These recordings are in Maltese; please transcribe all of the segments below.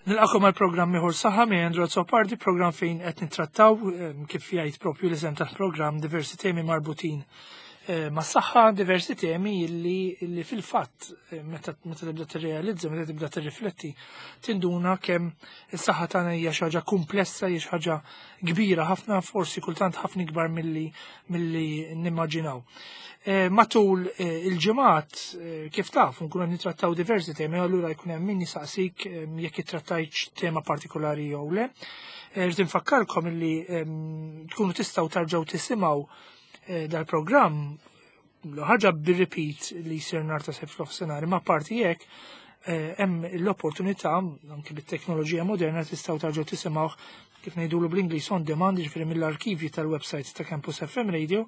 Nilqakom għal programm ieħor saħħa minn Andrew Azzopardi, programm fejn qed nittrattaw kif jgħid propju l-isem tal-programm diversi temi marbutin ma' saħħa, diversi temi illi fil-fatt meta tibda tirrealizza, meta tibda tirrifletti, tinduna kemm is-saħħa tagħna hija xi ħaġa komplessa, hija xi ħaġa kbira ħafna, forsi kultant ħafna ikbar milli nimmaġinaw. Matul il-ġimgħat kif taf nkunu qed nittrattaw diversi temi, allura jkun hemm min jisaqsik jekk ittrattajtx tema partikolari jew le. Rrid infakkarkom illi tkunu tistgħu tarġgħu tisimgħu dal-programm ħaġa bir-repeat li jsir nhar ta' Sibt f'nofsinhar, imma parti hekk hemm l-opportunità anke bit-teknoloġija moderna tistgħu tarġgħu tisimgħuh kif ngħidulu bl-Ingliż on demand, jiġifieri mill-arkivji tal-website ta' Campus FM Radio,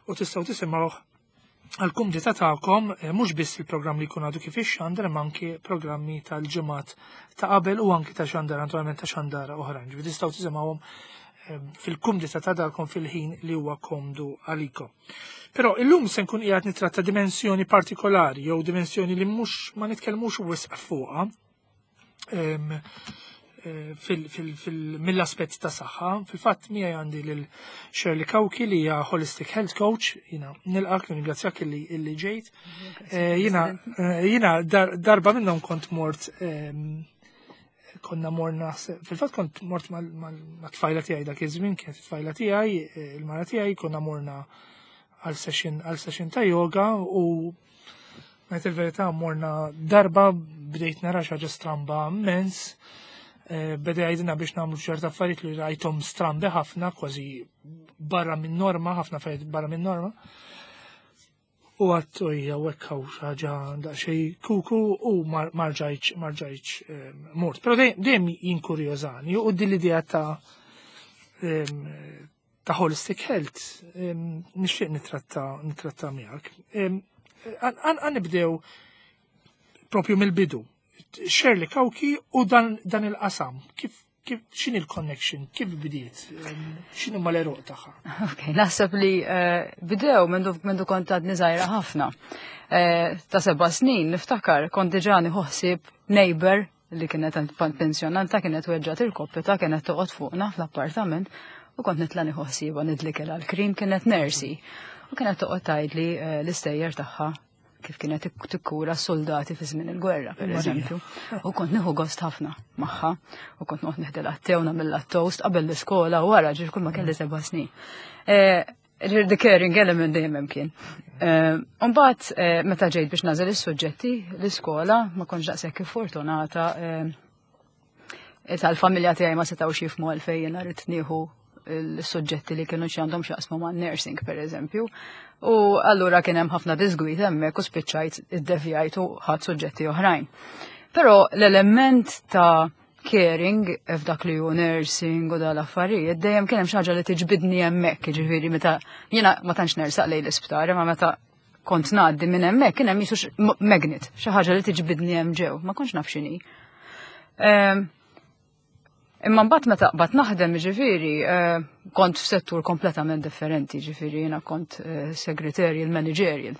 u tistgħu tisimgħuh għal-kumdità tagħkom mhux biss il-programm li jkun għadu kif ixxandar, imma anke programmi tal-ġimgħat ta' qabel u anke ta' xandar, naturalment ta' xandara oħrajn. Ġifieri tistgħu tisimgħuhom fil-kumdità ta' darkom fil-ħin li huwa komdu għalikom. Però illum se nkun qiegħed nittratta dimensjoni partikolari jew dimensjoni li mhux ma nitkellmux wisq fuqha mill-aspett ta' saħħa. Fil-fatt miegħi għandi lil Shirley Cauchi li hija Holistic Health Coach. Jiena nilqak, nirringrazzjak illi ġejt. Jiena darba minnhom kont mort, konna morna, fil-fatt kont mort ma' tfajla tiegħi dak iż-żmien, kienet it-tfajla tiegħi, il-mara tiegħi, konna morna għal session ta' yoga u ngħid il-verità morna darba bdejt nara xi ħaġa stramba immens. Beda jgħidilna biex nagħmlu ċerta affarijiet li rajthom strambi ħafna, kważi barra minn norma, ħafna affarijiet barra minn norma. U għedt ojja u hekk hawn xi ħaġa daqsxejn kuku u marġajċ mort. Però dejjem jinkurjożani u din l-idea ta' holistic health nixtieq nitratta miegħek. Għan nibdew propju mill-bidu. Shirley Cauchi u dan il-qasam, kif x'inhi l-connection, kif bdiet, x'inhu ma l-għeruq tagħha? Ok, naħseb li bidew mindu kont għadni żgħira ħafna. Ta' 7 snin niftakar kont diġà nieħu ħsieb neighbor li kienet pensjonanta, kienet weġġgħet irkoppitha, kienet toqgħod fuqna fl-appartament u kont nitla' nieħu ħsiebha, nidlikilha l-krim, kienet nurse. U kienet toqgħod tgħidli l-istejjer tagħha kif kienet tikkura soldati fi żmien il-gwerra, per Marija. eżempju. U kont nieħu gost ħafna magħha u kont noqgħod neħdilha t-te u nagħmilha toast qabel l-iskola u wara, ġifieri kull ma kelli 7 snin. Ġifieri the caring element dejjem hemm kien. Mbagħad meta ġejt biex nagħżel is-suġġetti l-iskola ma kontx daqshekk fortunata, tal-familja tiegħi ma setgħux jifhmu għalfejn jiena rrid nieħu l-suġġetti li kienu xi għandhom x'jaqsmu ma' nursing, per eżempju. U allura kien hemm ħafna disgwid hemmhekk u spiċċajt iddevjajt u ħadt suġġetti oħrajn. Però l-element ta' caring f'dak li hu nursing u dal-affarijiet dejjem kien hemm xi ħaġa li tiġbidni hemmhekk, jiġifieri meta jiena ma tantx nersaq lejn l-isptar, imma meta kont ngħaddi minn hemmhekk kien hemm jisu magnet, xi ħaġa li tiġbidni hemm ġew, ma kontx naf x'inhi. Imma mbagħad meta qbadt naħdem, ġifieri, kont f'settur kompletament differenti, ġifieri jiena kont secretarial managerial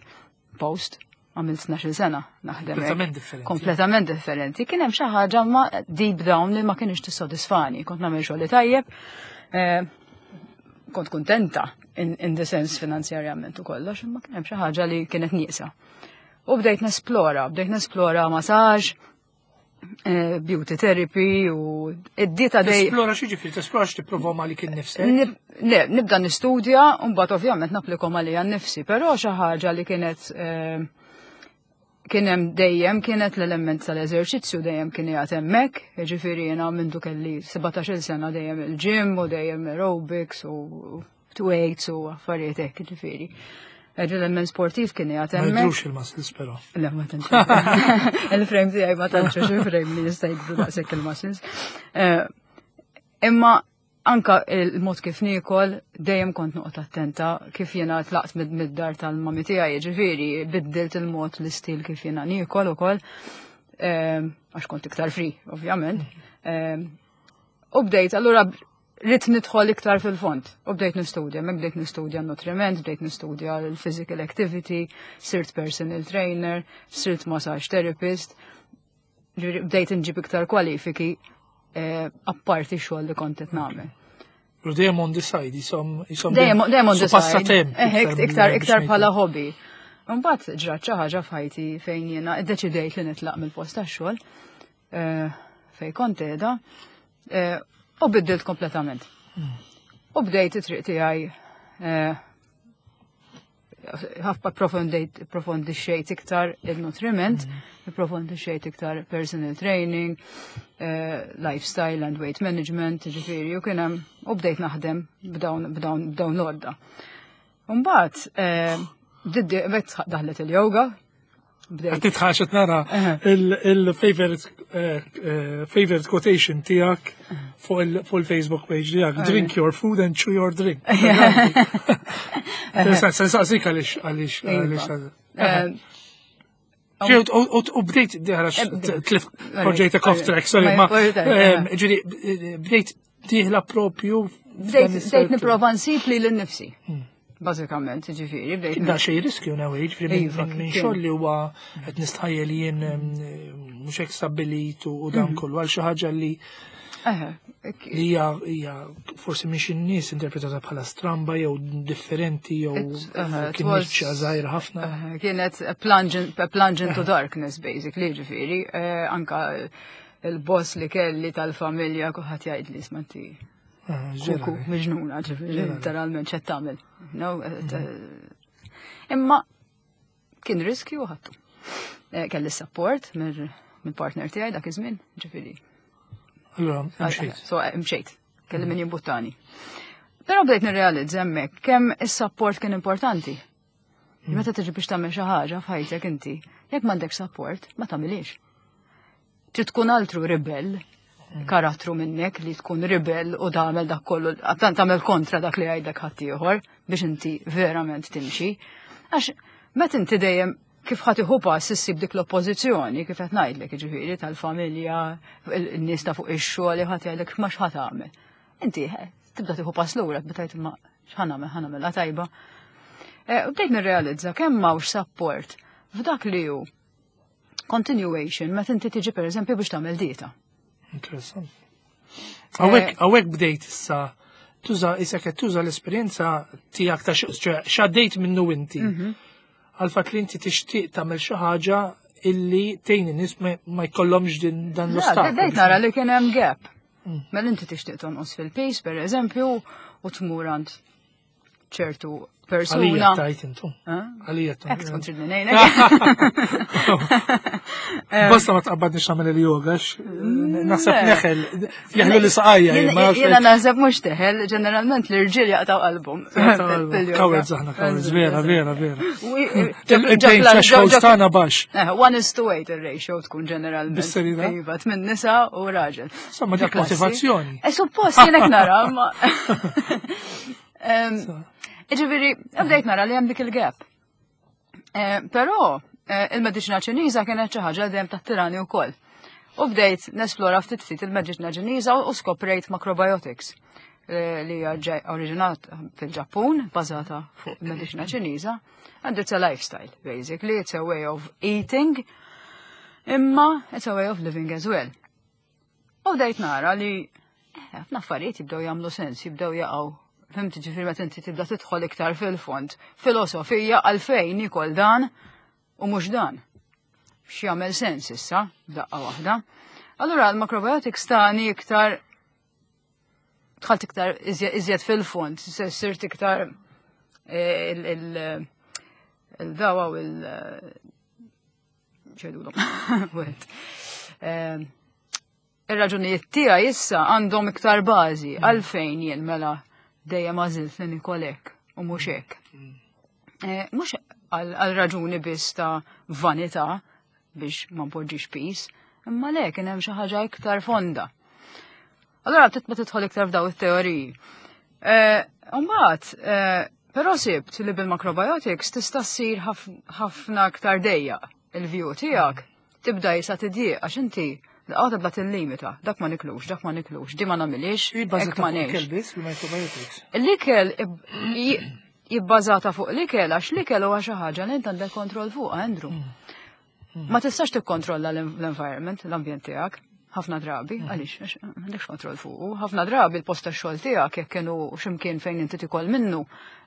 post, għamilt 12 sena naħdem hekk. Kompletament differenti. Kompletament differenti. Kien hemm xi ħaġa ma deep down li ma kienx tissodisfani. Kont nagħmel xogħli tajjeb, kont kuntenta in the sense finanzjarjament u kollox, imma kien hemm xi ħaġa li kienet nieqsa. U bdejt nesplora massage, beauty therapy u id-dieta dej. Tesplora xi ġifieri, tesplora x'tipprova għalik innifsek? Le, nibda nistudja u mbagħad ovvjament napplikom għalija nnifsi, però xi ħaġa li kienet kien hemm dejjem kienet l-element tal-eżerċizzju, dejjem kien qiegħed hemmhekk, jiġifieri jiena mindu kelli 17-il sena dejjem il-gym u dejjem aerobics u weights u affarijiet hekk, jiġifieri. L-element sportiv kien qiegħed Ma hemmhekk. jidhrux il-muscles però. Le, ma tantx. Il-frame tiegħi ma tantx xi frame li jista' jikbru daqshekk il-muscles. Imma anka il-mod kif niekol dejjem kont noqgħod attenta kif jiena tlaqt mid-dar tal-mami tiegħi, jiġifieri biddilt il-mod, l-istil kif jiena niekol ukoll. Għax kont iktar free, ovvjament. U bdejt, allura rrid nidħol iktar fil-fond. U bdejt nistudja, mek bdejt nistudja nutriment, bdejt nistudja l-physical activity, sirt personal trainer, sirt massage therapist. Ġifieri bdejt inġib iktar kwalifiki eh, apparti xogħol li kont qed nagħmel. U dejjem on the side, jisom jisom dejjem on the side. Eh, iktar iktar bħala hobby. Mbagħad ġrat xi ħaġa f'ħajti fejn jiena iddeċidejt li nitlaq mill-post tax-xogħol eh, fejn kont qiegħda u biddilt kompletament. U bdejt it-triq tiegħi ħafna profondixxejt iktar il-nutriment, mm. profondixxejt iktar personal training, eh, lifestyle and weight management, ġifiri, u kien hemm u bdejt naħdem b'dawn b'dawn b'dawn l-għodda. Mbagħad eh, daħlet il-yoga, Bdejt. Titħax nara il-favorite eh, eh, favorite quotation tijak fuq il-Facebook page tijak. Drink your food and chew your drink. Saqsik għalix għalix iva. għalix. Eh, u bdejt diħra tlif poġġejtek off track, sorry, ma ġiri bdejt diħla propju. Bdejt niprofa nsib li l-nifsi. Hmm. Bażikament, ġifieri, bdejt. Da xej riskju nawi, ġifieri iva, minn xogħol li huwa qed nistħajjel jien mhux hekk stabbilit u dan mhm. kollu għal xi ħaġa li li hija hija forsi minn xi nies interpretata bħala stramba jew differenti jew kien niċċa żgħira ħafna. Kienet plunge into darkness basically, ġifieri, eh, anka il-boss li kelli tal-familja kulħadd jgħid li smanti ah, kuku miġnuna, ġifieri literalment x'qed tagħmel. No, eh, eh, imma kien riskju ħattu. Eh, kelli support mill-partner tiegħi dak iż-żmien, ġifieri. Allura, mxejt. So, mxejt, kelli min jimbuttani. Però bdejt nirrealizza hemmhekk kemm is-support kien importanti. Meta tiġi biex tagħmel xi ħaġa f'ħajtek inti, jekk m'għandek support, ma tagħmilix. Trid tkun altru ribell, karattru minnek li tkun ribell u tagħmel dak kollu, tagħmel kontra dak li jgħidlek ħaddieħor biex inti verament timxi. Għax meta inti dejjem kif ħadd iħu pass issib dik l-oppożizzjoni kif qed ngħidlek, jiġifieri tal-familja, in-nies ta' fuq ix-xogħol ħadd jgħidlek ma x'ħadd tagħmel. Inti eh, tibda tieħu pass lura, tibda tgħid ma x'ħa nagħmel, ħa nagħmilha tajba. Eh, u bdejt nirrealizza kemm m'hawnx support f'dak li hu continuation meta inti tiġi pereżempju biex tagħmel dieta. Interessant. Hawnhekk eh, hawnhekk bdejt issa tuża issa qed tuża l-esperjenza tiegħek ta' x'għaddejt minnu inti. Mhm. Għal fatt li inti tixtieq tagħmel xi ħaġa illi tgħin in-nies ma jkollhomx din dan l-ostaklu. Bdejt nara li kien hemm gap. Mm. Mela inti tixtieq tonqos fil-pejs, per eżempju, u tmur għand ċertu persuna. Għalija tajt intu. Għalija tajt. Ek tkun tridni ngħinek. Basta ma tqabbadniex nagħmel il-yoga, naħseb neħel, jeħlu li saqajja. Jiena naħseb mhux teħel, ġeneralment l-irġiel jaqtaw qalbhom. Cowards aħna, cowards, vera, vera, vera. Il-pain threshold tagħna baxx. Eh, one is to eight il-ratio tkun ġeneralment. Bis-serjetà? Iva, tmien nisa u raġel. Insomma, dik motivazzjoni. E suppost jienek nara, ma. Ġifieri, bdejt nara li hemm dik il-gap. Eh, però eh, il-mediċina Ċiniża kienet xi ħaġa dejjem tirani wkoll. U bdejt nesplora ftit ftit il-mediċina Ċiniża u skoprejt macrobiotics eh, li hija oriġinat fil-Ġappun, bażata fuq il-mediċina Ċiniża, and it's a lifestyle, basically, it's a way of eating, imma it's a way of living as well. U bdejt nara li eh, ħafna affarijiet jibdew jagħmlu sens, jibdew jaqgħu. Fimti ġifieri meta inti tibda tidħol iktar fil-fond. Filosofija għalfejn nikol dan u mhux dan. X'jagħmel sens issa, daqqa waħda. Allura l-macrobiotics tani iktar dħalt iktar iżjed fil-fond, sirt iktar eh, il-dawa u il- ċedulhom. Wieħed. Ehm, ir-raġunijiet tiegħi issa għandhom iktar bażi mm. għalfejn jien mela dejjem għażilt li nikol hekk u mhux hekk. Mm. Eh, mhux għal raġuni biss ta' vanità biex ma npoġġix pis, imma le kien hemm xi ħaġa iktar fonda. Allora titma tidħol iktar f'daw it-teoriji. Eh, mbagħad, eh, però sibt li bil-macrobiotics tista' ssir ħafna aktar dejja il-view tiegħek tibda jisa tidjieq għax inti Għaw tibda tillimita, dak ma niklux, dak ma niklux, di ma namilix, hekk ma ngħix. Il-microbiotics. L-ikel jibbażata fuq l-ikel għax l-ikel huwa xi ħaġa li int għandek kontroll fuq, Andrew. Mm. Ma tistax tikkontrolla l-environment, l-ambjent tiegħek, ħafna drabi, għaliex għax m'għandekx kontroll fuqu, ħafna drabi l-post tax-xogħol tiegħek jekk kienu x'imkien fejn inti tikol minnu,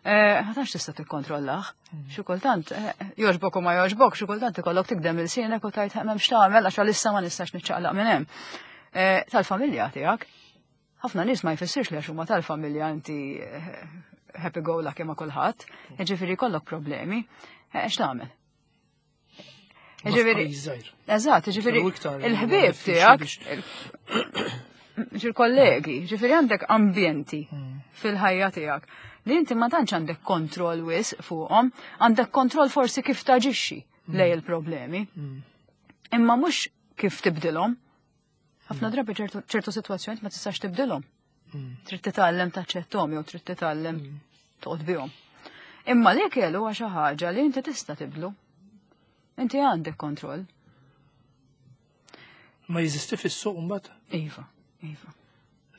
ma tantx tista' tikkontrollah. Xi kultant jogħġbok u ma jogħġbok, xi kultant ikollok tikdem ilsienek u tgħid m'hemmx tagħmel għax għalissa ma nistax niċċaqlaq minn hemm. Tal-familja tiegħek, ħafna nies ma jfissirx li għax huma tal-familja inti happy go lucky ma' kulħadd, jiġifieri jkollok problemi, x'tagħmel? Ġifieri, eżatt, ġifieri il-ħbieb tiegħek, il-kollegi, ġifieri għandek ambjenti fil-ħajja tiegħek li inti ma tantx għandek kontroll wisq fuqhom, għandek kontroll forsi kif taġixxi lej il-problemi. Imma mhux kif tibdilhom. Ħafna drabi ċertu sitwazzjonijiet ma tistax tibdilhom. Trid titgħallem taċċetthom jew trid titgħallem toqgħod bihom. Imma l-ikel huwa xi ħaġa li inti tista' tibdlu. Inti għandek kontroll. Ma jeżisti fis-suq mbagħad? Iva, iva.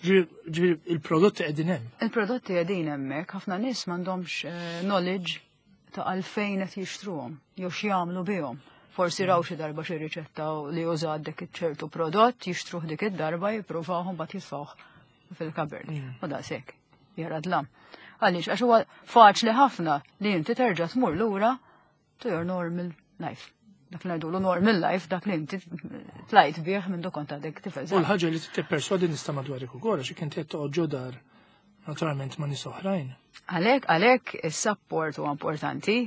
Ġifieri il-prodotti qegħdin hemm. Il-prodotti qegħdin hemmhekk, ħafna nies m'għandhomx knowledge ta' għalfejn qed jixtruhom jew x'jagħmlu bihom. Forsi raw xi darba xi riċetta li użat dik ċertu prodott, jixtruh dik id-darba, jippruvawhom mbagħad jitfgħuh fil-cupboard. U daqshekk, jara dlam. Għaliex, għax huwa faċli ħafna li inti terġa' tmur lura to your normal life. Dak li ngħidulu normal life, dak li inti tlajt bih minn kont għadek tifel. U l-ħaġa li tipperswadi nista' madwarek ukoll għax inti qed toqgħod ġo dar naturalment ma' nies oħrajn. Għalhekk is-support huwa importanti.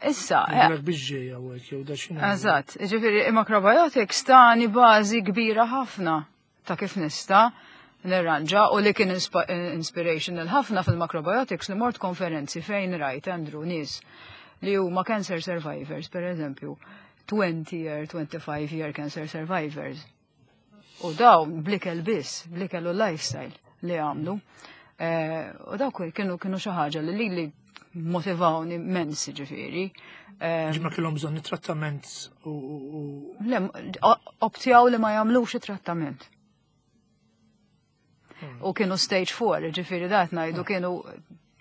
Issa, Jgħidulek biex ġejja u hekk jew da x'inhu. Eżatt, ġifieri macrobiotics tani bażi kbira ħafna ta' kif nista' nirranġa u li kien inspirational ħafna fil-macrobiotics li mort konferenzi fejn rajt Andrew nies li huma cancer survivors, per eżempju, 20 year, 25 year cancer survivors. U dawn bl-ikel biss, bl-ikel u lifestyle li għamlu. U dawk kienu xi ħaġa li motivawni immens ġifieri. Ġimma kellhom bżonn trattament u Le, optjaw li ma jagħmlux it-trattament. U kienu stage 4, ġifieri dat ngħidu kienu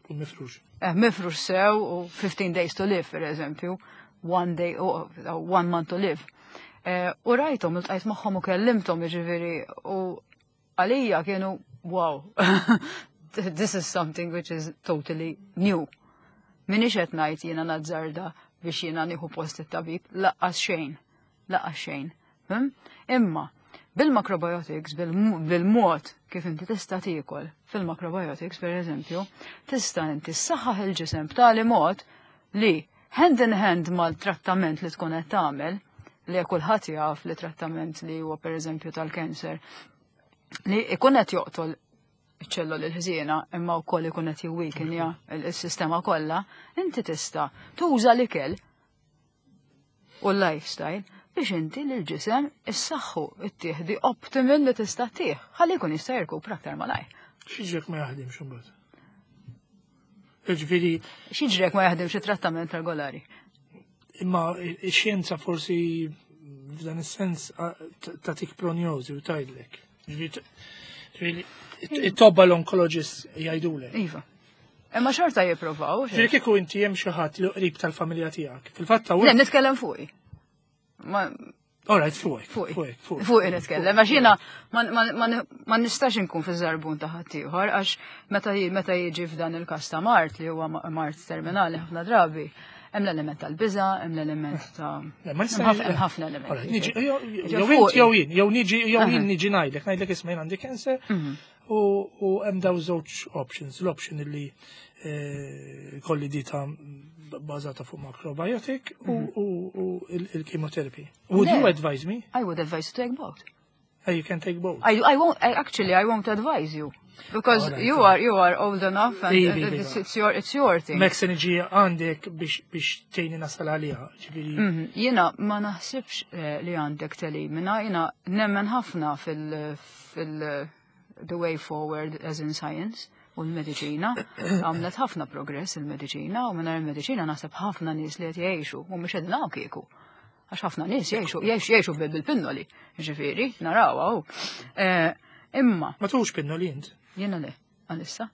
U mifrux. Mifrux sew u 15 days to live, per eżempju, one day, u one month to live. U rajthom, iltqajt magħhom u kellimthom, ġifieri, u għalija kienu, wow, this is something which is totally new. Minix qed ngħid jiena nazzarda biex jiena nieħu post it-tabib, laqqas xejn, laqqas xejn. Imma bil-macrobiotics, bil-mod kif inti tista' tiekol fil-macrobiotics, per eżempju, tista' inti ssaħħaħ il-ġisem b'tali mod li hand in hand mal-trattament li tkun qed tagħmel, li kulħadd jaf li trattament li huwa per eżempju tal-kanser, li ikun qed joqtol iċ-ċelloli l-ħżiena imma wkoll ikun qed jiweakenja il-sistema kollha, inti tista' tuża l-ikel u l-lifestyle biex inti l-ġisem issaħħu ittieħdi optimal li tista' tih, ħalli jkun jista' jirkupra aktar malajr. X'jiġrek ma jaħdimx imbagħad? Ġifieri X'jiġrek ma jaħdimx it-trattament regolari? Imma ix-xjenza forsi f'dan is-sens tagħtik prognosi u tgħidlek. Ġifieri it-tobba l-onkologist jgħidulek. Iva. Imma xorta jipprovaw. Ġifieri kieku inti hemm xi ħadd li qrib tal-familja tiegħek. Fil-fatt Le, nitkellem fuqi. Ma All right, fuqek. Fuqi. Fuqek, fuqek. Fuqi nitkellem, għax jiena ma nistax inkun fi żarbun ta' ħaddieħor, għax meta jiġi f'dan il-każ ta' mard li huwa mard terminali ħafna drabi, hemm l-element tal-biża', hemm l-element ta' Le, ma nista' hemm ħafna elementi. All right, niġi, Ġi jew fuqi. int jew jien, jew niġi, jew jien niġi ngħidlek, ngħidlek isma' jien għandi cancer u hemm daw żewġ options. L-option li kolli dieta bażata fuq macrobiotic u il-chemotherapy. Would you Le. advise me? I would advise you to take both. Oh, you can take both. I won't, I actually, I won't advise you. Because All right, you all are old enough and Ivi, ivi, ivi. it's your thing. Mek se niġi għandek biex tgħinni nasal għaliha, ġifieri. Jiena ma naħsibx li għandek telimina, jiena nemmen ħafna fil the way forward as in science u l-mediċina. Għamlet ħafna progress il-mediċina u mingħajr il-mediċina naħseb ħafna nies li qed jgħixu u mhux qegħdin hawn kieku. Għax ħafna nies jgħixu bil-pinnoli, ġifieri, naraw hawn. Imma. Ma tuħux pinnoli int? Jiena le, għalissa.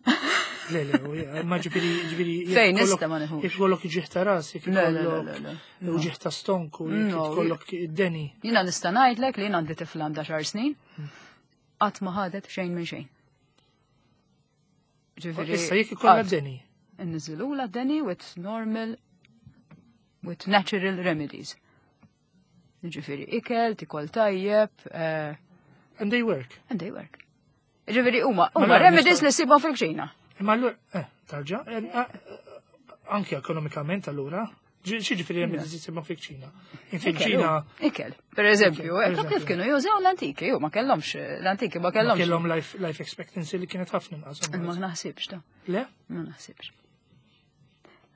Le, le, ma ġifieri ġifieri. Fejn nista' ma nieħux. Jekk ikollok uġigħ ta' ras, jekk ikollok uġigħ ta' stonku, jekk ikollok id-deni. Jiena nista' ngħidlek li jien għandi tifla għandha xar snin, qatt ma ħadet xejn minn xejn. Ġifieri. Issa jekk ikollha deni. Inniżilula deni with normal with natural remedies. Ġifieri ikel, tikol tajjeb. Eh, and they work. And they work. Ġifieri huma huma remedies li ssibhom fil-kċina. Imma allura, eh, tarġa, eh, anke ekonomikament allura, ġifieri remedies li ssibhom fil-kċina. Fil-kċina. Ikel, per eżempju, kif kienu jużaw l-antiki, u ma kellhomx, l-antiki ma kellhomx. Kellhom life expectancy li kienet ħafna inqas. Ma naħsibx ta. Le? Ma naħsibx.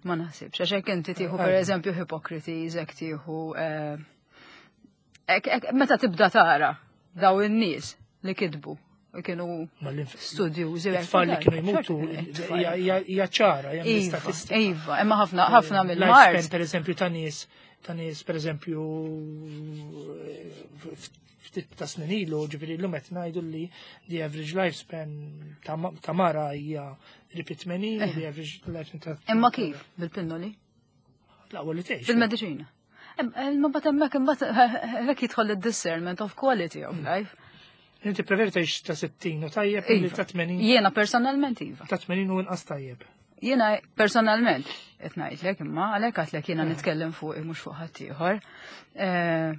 Ma naħsibx, għax hekk inti tieħu per eżempju Hippocrates, hekk tieħu eh, meta tibda tara daw in-nies li kitbu u kienu studjużi. Tfal li kienu jmutu hija ċara, hemm iva, statistika. Iva, imma ħafna ħafna mill-mard. Per eżempju ta' nies, ta' nies per eżempju ftit ta' snin ilu, ġifieri llum qed ngħidu li the average lifespan ta' mara hija qrib 80, the average lifespan ta' Imma kif? Bil-pinnoli? L-aqwa li tgħix. Bil-mediċina. Imma bat hemmhekk imbagħad hekk jidħol id-discernment of quality of life. Inti preferi tgħix ta' 60 u tajjeb milli Iva. ta' 80. Jiena personalment iva. Ta' 80 u inqas tajjeb. Jiena personalment qed ngħidlek imma għalhekk għedtlek jiena nitkellem fuq mhux fuq ħaddieħor. Eh,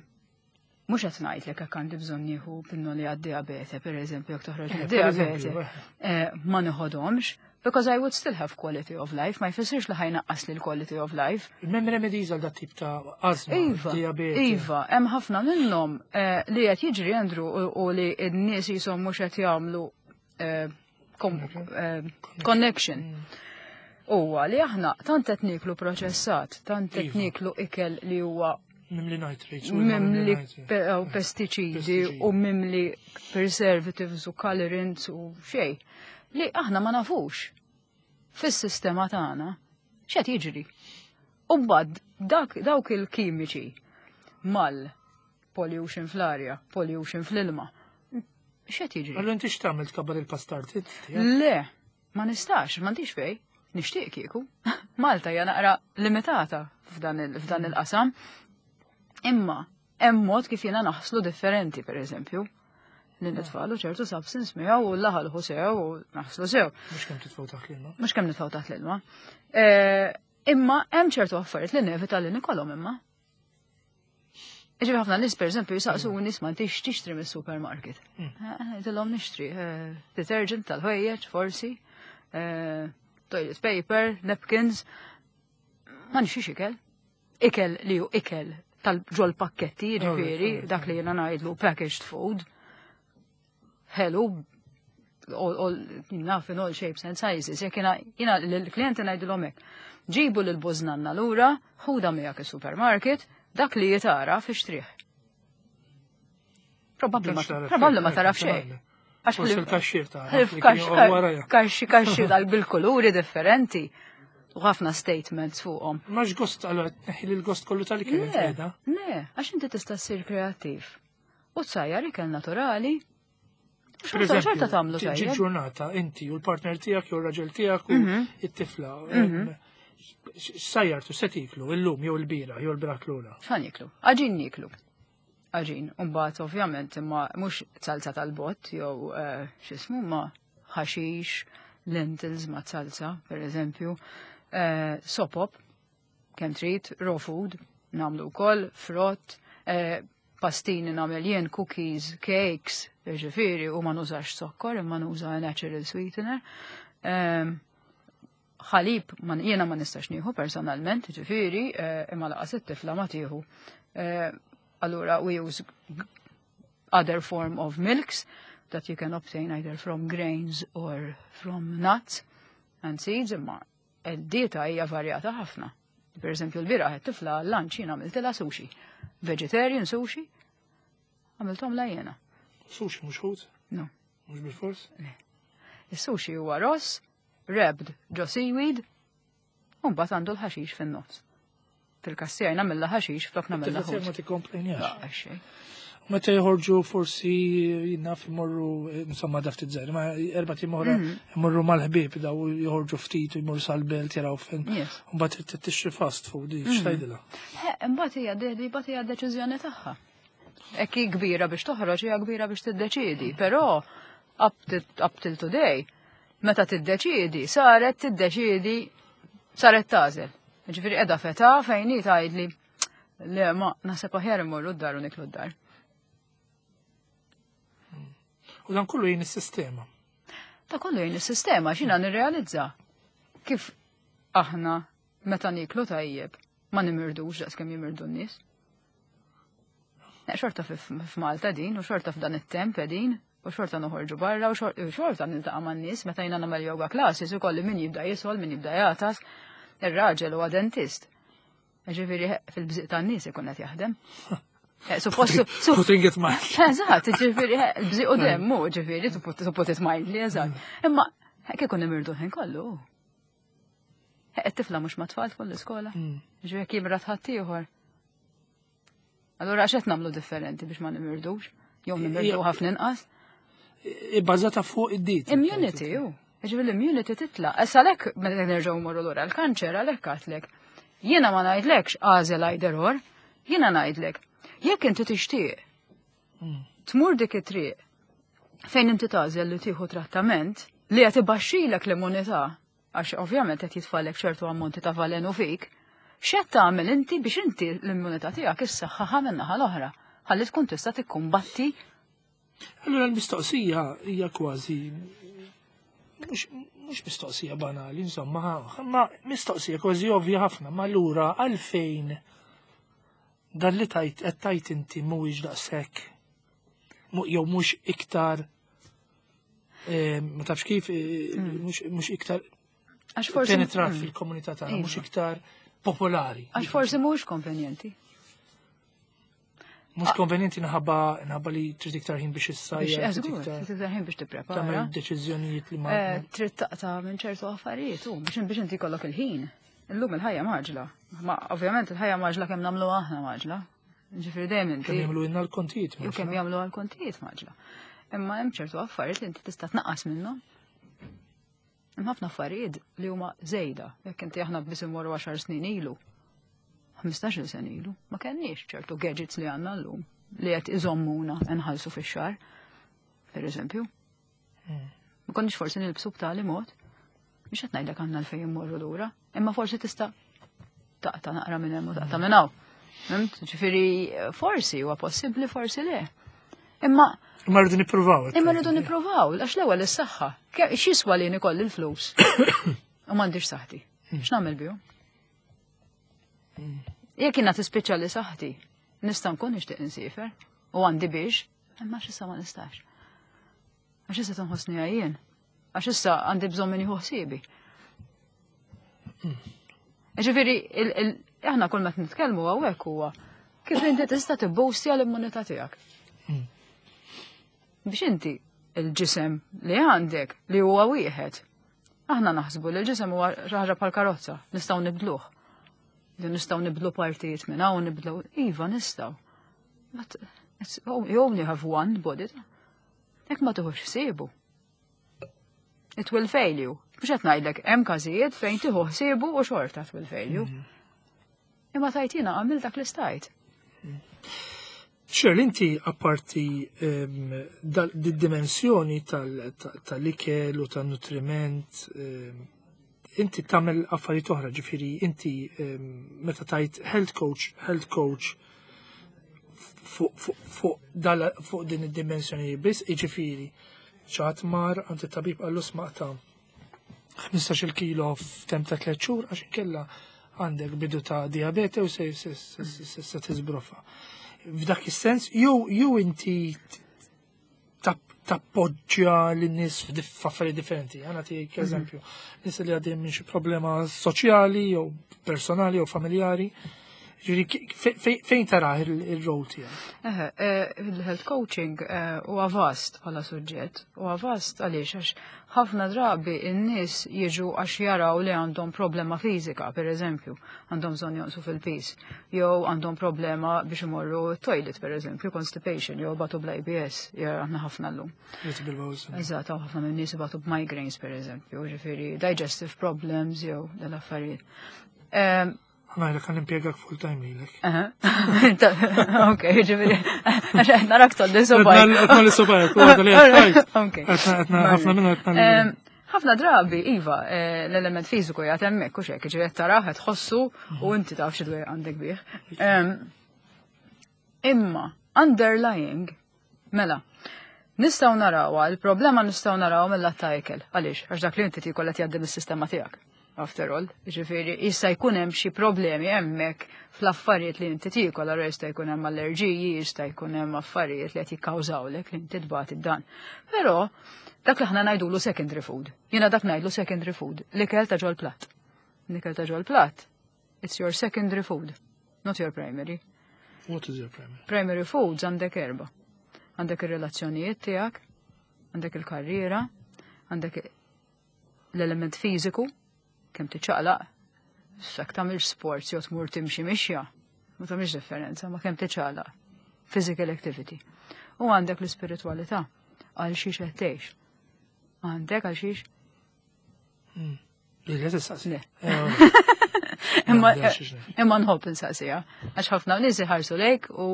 mhux qed ngħidlek hekk għandi bżonn nieħu pinnoli għad-diabete, pereżempju, jekk toħroġ diabete, eh, ma nieħodhomx, because I would still have quality of life, ma jfissirx li ħa jnaqqas li l-quality of life. M'hemm remedies għal dat tip ta' azma, Iva, diabete. Iva, hemm ħafna minnhom eh, li qed jiġri Andrew u li n-nies jisom mhux qed jagħmlu eh, connection. Huwa li aħna tant qed nieklu proċessat, tant qed nieklu ikel li huwa mimli nitrates. Mimli pestiċidi u mimli preservatives u colorants u xej. Li aħna ma nafux fis-sistema tagħna x'qed jiġri. U mbagħad dawk il-kimiċi mal pollution fl-arja, pollution fl-ilma. X'qed jiġri? Allura inti x'tagħmel tkabbar il-pastart? Le, ma nistax, m'għandix fej. Nixtieq kieku. Malta hija naqra limitata f'dan il-qasam. Imma hemm mod kif jiena naħslu differenti, per eżempju. Li nitfalu ċertu substance miegħu u laħalħu sew u naħslu sew. Mhux kemm titfgħu taħt l-ilma. Mhux kemm nitfgħu taħt l-ilma. Eh, imma hemm ċertu affarijiet li nevita li nikolhom imma. Ġifieri ħafna nies per eżempju jisaqsu nies ma intix tixtri mis-supermarket. Ngħidilhom nixtri eh, detergent tal-ħwejjeġ forsi, eh, toilet paper, napkins. Ma nixtrix ikel. Ikel li hu ikel tal-ġol pakketti, ġifieri, dak li jiena ngħidlu packaged food. Hello, all, naf in all shapes and sizes. Jekk jiena l-klienti ngħidilhom hekk. Ġibu l-bużnanna lura, ħuda miegħek is-supermarket, dak li jitara fi xtrih. Probabbli ma taraf xejn. Għax il-kaxxir ta' kaxxi kaxxi dal bil-kuluri differenti u ħafna statements fuqhom. Max gost għallu tneħħi l-gost kollu tal-ikel Le, le, għax inti tista' ssir kreattiv. U tsajjar ikel naturali. Xorta tagħmlu tajjeb. Ġurnata inti u l-partner tiegħek jew ir-raġel tiegħek u it-tifla. Sajjartu se tiklu illum jew il-bira jew il-bira klura. X'ħa nieklu? Għaġin nieklu. Għaġin, mbagħad ovvjament imma mhux salsa tal-bott jew eh, x'ismu ma ħaxix, lentils ma' salsa, per eżempju, eh, sopop, kemm trid, raw food, nagħmlu wkoll, frott, eh, pastini nagħmel jien, cookies, cakes, ġifieri, u ma nużax sokkor, imma nuża natural sweetener. Ħalib, jiena ma nistax nieħu personalment, ġifieri, imma lanqas it-tifla ma tieħu. Allura we use other form of milks that you can obtain either from grains or from nuts and seeds, imma id-dieta hija varjata ħafna. Per eżempju, l-bieraħ it-tifla lunch jiena għamiltilha sushi. Vegetarian sushi, għamilthom la jiena. Sushi mhux ħut? No. Mhux bil-fors? Is-sushi huwa ross, wrapped ġo seaweed, u mbagħad għandu l-ħaxix fin-nofs. Fil-kassija nagħmilha ħaxix flok nagħmilha ħut. Ma tikkomplejnjax. Meta joħorġu forsi naf imorru, insomma da ftit żgħir, ma erbat ijiem oħra imorru mal-ħbieb daw joħorġu ftit u jmorru sal-belt jaraw fejn. Mbagħad trid tixtri fast food, x'tgħidilha? Imbagħad hija mbagħad hija deċiżjoni tagħha. Hekk hi kbira biex toħroġ, hija kbira biex tiddeċiedi, però up till today, meta tiddeċiedi, saret tiddeċiedi, saret tagħżel. Ġifieri qiegħda f'età fejn hi tgħidli le ma naħseb aħjar immorru d-dar u niklu d-dar. U dan kollu jgħin is-sistema. Ta' kollu jgħin is-sistema x'jiena nirrealizza kif aħna meta niklu tajjeb ma nimirdux daqs kemm jimirdu n-nies. Xorta f'Malta din u xorta f'dan it-temp din u xorta noħorġu barra u xorta niltaqa' man-nies meta jiena nagħmel yoga classes ukoll min jibda jisgħol, min jibda jagħtas, ir-raġel huwa dentist. Ġifieri fil-bżiq tan-nies ikun qed jaħdem. Suppost. Putting it mildly. Eżatt, ġifieri l-bżiq u demmu, ġifieri, to put it mildly, eżatt. Imma kieku nimirdu ħin kollu. It-tifla mhux ma' tfal tkun l-iskola. Ġifieri jekk jimrad ħaddieħor. Allura għax qed nagħmlu differenti biex ma nimirdux, jew nimirdu ħafna inqas. Ibbażata fuq id-diet. Immunity, ju. Ġifieri l-immunity titla'. Issa għalhekk meta nerġgħu mmorru lura l-kanċer għalhekk għedtlek. Jiena ma ngħidlekx għażel either or, jiena ngħidlek. Jekk inti tixtieq tmur dik it-triq fejn inti tagħżel li tieħu trattament li qed ibaxxilek l-immunità, għax ovvjament qed jitfalek ċertu ammonti ta' valenu fik, x'qed tagħmel inti biex inti l-immunità tiegħek issaħħaħa min-naħa l-oħra, ħalli tkun tista' tikkumbatti. Allura l-mistoqsija hija kważi mhux mistoqsija banali, insomma, ma mistoqsija kważi ovvja ħafna, ma allura għalfejn dan li tajt qed tajt inti mhuwiex daqshekk jew mhux iktar ma tafx kif mhux iktar Għax forsi penetrat fil-komunità tagħna, mhux iktar popolari. Għax forsi mhux konvenjenti. Mhux konvenjenti nħabba li trid iktar ħin biex issajjar, Biex trid iktar trid iktar ħin biex tipprepara. Tagħmel deċiżjonijiet li ma Trid taqta' minn ċertu affarijiet u biex inti jkollok il-ħin. Illum il-ħajja maġla. Ma ovvjament il-ħajja maġla kemm nagħmlu aħna maġla. Ġifieri dejjem inti. Kemm jagħmlu lna l-kontijiet Jew kemm jagħmlu għall-kontijiet maġla. Imma hemm ċertu affarijiet li inti tista' tnaqqas minnhom. Hemm ħafna affarijiet li huma żejda. Jekk inti aħna biss immorru 10 snin ilu, 15-il sena ilu, ma kenniex ċertu gadgets li għandna llum li qed iżommuna nħallsu fix-xahar, per eżempju. Ma konniex forsi nilbsu b'tali mod. Mhux qed ngħidlek għandna l-fejn immorru lura, imma forsi tista' taqta' naqra minn hemm u taqta' minn hawn. Fhimt? Ġifieri forsi huwa possibbli, forsi le. Imma Imma rridu nippruvaw. Imma rridu nippruvaw, għax l-ewwel is-saħħa. X'jiswa li nikolli l-flus? U m'għandix saħħti. X'nagħmel bihom? Jekk jiena tispiċċa li saħħti, nista' nkun nixtieq insiefer u għandi biex, imma x'issa ma nistax. Għax issa tinħossni għajjien. Għax issa għandi bżonn min jieħu ħsiebi. Ġifieri, aħna kull ma nitkellmu hawnhekk huwa kif inti tista' tibboostja l-immunità tiegħek. Biex inti il-ġisem li għandek li huwa wieħed. Aħna naħsbu li l-ġisem huwa xi ħaġa bħal karozza, nistgħu nibdluh. Li nistgħu nibdlu partijiet minn hawn nibdlu, iva nistgħu. But you only have one body. Jekk ma tieħux ħsiebu. It will fail you. Mhux qed ngħidlek hemm każijiet fejn tieħu ħsiebu u xorta it will fail you. Imma tajtina għamil dak li stajt. Shirley, inti apparti di-dimensjoni tal-ikel u tal-nutriment, inti tagħmel affarijiet oħra, ġifieri inti meta tajt health coach, health coach fuq din id-dimensjoni biss, ġifieri ċat mar għand it-tabib qallu smaqta 15 kilo f'temp ta' 3 xhur għax inkella għandek bidu ta' diabete u se tiżbrofa. F'dak is-sens jew inti tappoġġja lin-nies f'affarijiet differenti. Għana tiegħek eżempju, nies li għaddejjin minn xi problema soċjali jew personali jew familjari. Ġifieri fejn tara il-role tiegħek? Il-health coaching huwa vast bħala suġġett, huwa vast għaliex għax ħafna drabi n-nies jiġu għax jaraw li għandhom problema fiżika, per eżempju, għandhom bżonn jonqsu fil-piż, jew għandhom problema biex imorru toilet, per eżempju, constipation, jew batu bl-IBS, aħna ħafna llum. Eżatt, ħafna minn nies ibatu b'migraines, per eżempju, ġifieri digestive problems jew dal-affarijiet. Għajla kan impiegak full time lilek. Ok, ġifieri, għax narak tolli sobaj. Tolli sobaj, Ok. Ħafna minnu Ħafna drabi, Iva, l-element fiżiku jgħat hemmhekk u xek, ġifieri taraħ qed tħossu u inti taf xi għandek bih. Imma, underlying, mela, nistgħu narawha, il-problema nistgħu naraw mill-lat ta' ikel. Għaliex? Għax dak li inti tiekol qed jgħaddi mis-sistema tiegħek. After all, ġifieri, jista' jkun hemm xi problemi hemmhekk fl-affarijiet li inti tiekol, allura jista' jkun hemm allerġiji, jista' jkun hemm affarijiet li qed jikkawżawlek li inti tbati dan. Però dak li aħna ngħidulu secondary food. Jiena dak ngħidlu secondary food, l-ikel ta' ġol platt. L-ikel ta' ġol platt, it's your secondary food, not your primary. What is your primary? Primary foods għandek erba. Għandek ir-relazzjonijiet tiegħek, għandek il-karriera, għandek l-element fiżiku, kemm tiċċaqlaq, jekk tagħmilx sports jew tmur timxi mixja, ma tagħmilx differenza, ma kemm tiċċaqlaq. Physical activity. U għandek l-ispiritualità għal xiex qed tgħix. Għandek għal xiex? Le, tistaqsi. Le. Imma nħobb insaqsija, għax ħafna nies iħarsu lejk u